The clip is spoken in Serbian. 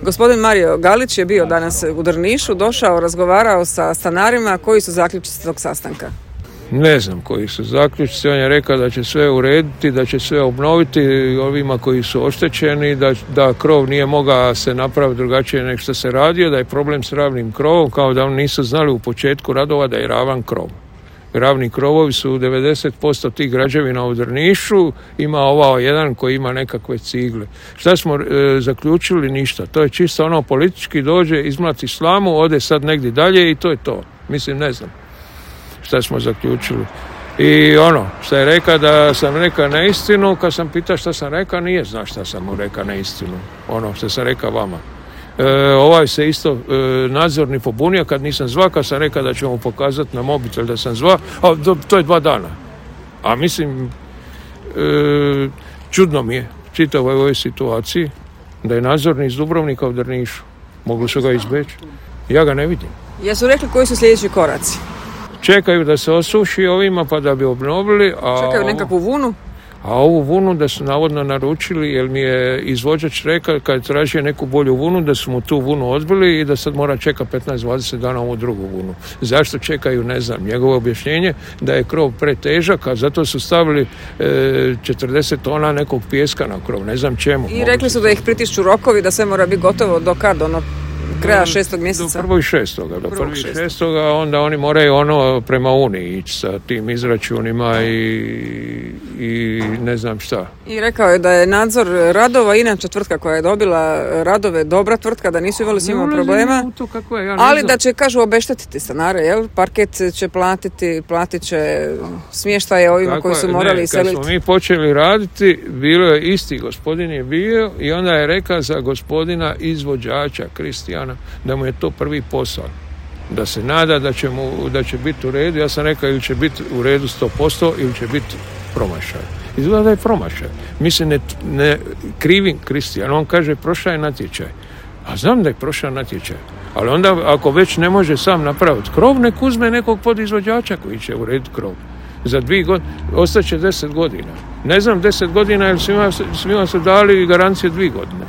Gospodin Mario Galić je bio danas u Drnišu, došao, razgovarao sa stanarima. Koji su zaključci tog sastanka? Ne znam koji su zaključci. On je rekao da će sve urediti, da će sve obnoviti ovima koji su oštećeni, da krov nije mogao se napraviti drugačije nego što se radio, da je problem s ravnim krovom, kao da oni nisu znali u početku radova da je ravan krov. Ravni krovovi su 90% tih građevina u Drnišu, ima ovaj jedan koji ima nekakve cigle. Šta smo zaključili? Ništa. To je čisto ono politički dođe, izmlati slamu, ode sad negdje dalje i to je to. Mislim, ne znam šta smo zaključili. I ono, šta je rekao da sam rekao neistinu, kad sam pitao šta sam rekao, nije zna šta sam mu rekao neistinu. Ono što sam rekao vama. Ovaj se isto nadzorni pobunio kad nisam zvao, kad sam rekao da ću mu pokazati na mobitel da sam zvao, a to je 2 dana. A mislim, čudno mi je čitavoj ovoj situaciji da je nadzorni iz Dubrovnika u Drnišu. Mogli su ga izbeći. Ja ga ne vidim. Jesu rekli koji su sljedeći koraci? Čekaju da se osuši ovima pa da bi obnovili. Čekaju nekakvu vunu? A ovu vunu da su navodno naručili, jer mi je izvođač rekao kad tražio neku bolju vunu da su mu tu vunu odbili i da sad mora čekati 15-20 dana ovu drugu vunu. Zašto čekaju, ne znam. Njegovo objašnjenje da je krov pretežak, a zato su stavili 40 tona nekog pijeska na krov. Ne znam čemu. I rekli su da ih pritišću rokovi, da sve mora biti gotovo do kad, kraja 6. mjeseca? Do 1.6. Do 1.6. Onda oni moraju prema Uniji ići sa tim izračunima i ne znam šta. I rekao je da je nadzor radova, inače tvrtka koja je dobila radove, dobra tvrtka, da nisu imali s njima problema, ali da će, kažu, obeštetiti stanare, jel? Parket će platit će smještaje ovima koji su morali iseliti. Kad smo mi počeli raditi, bilo je isti gospodin je bio i onda je rekao za gospodina izvođača Kristijana da mu je to prvi posao. Da se nada da će biti u redu. Ja sam rekao ili će biti u redu 100% ili će biti promašaj. Izgleda da je promašaj. Mislim, ne krivim Kristijana. On kaže prošao je natječaj. A znam da je prošao natječaj. Ali onda ako već ne može sam napraviti krov, nek uzme nekog podizvođača koji će urediti krov. Za 2 godine, ostaće 10 godina. Ne znam 10 godina, jer svima su dali garancije 2 godine.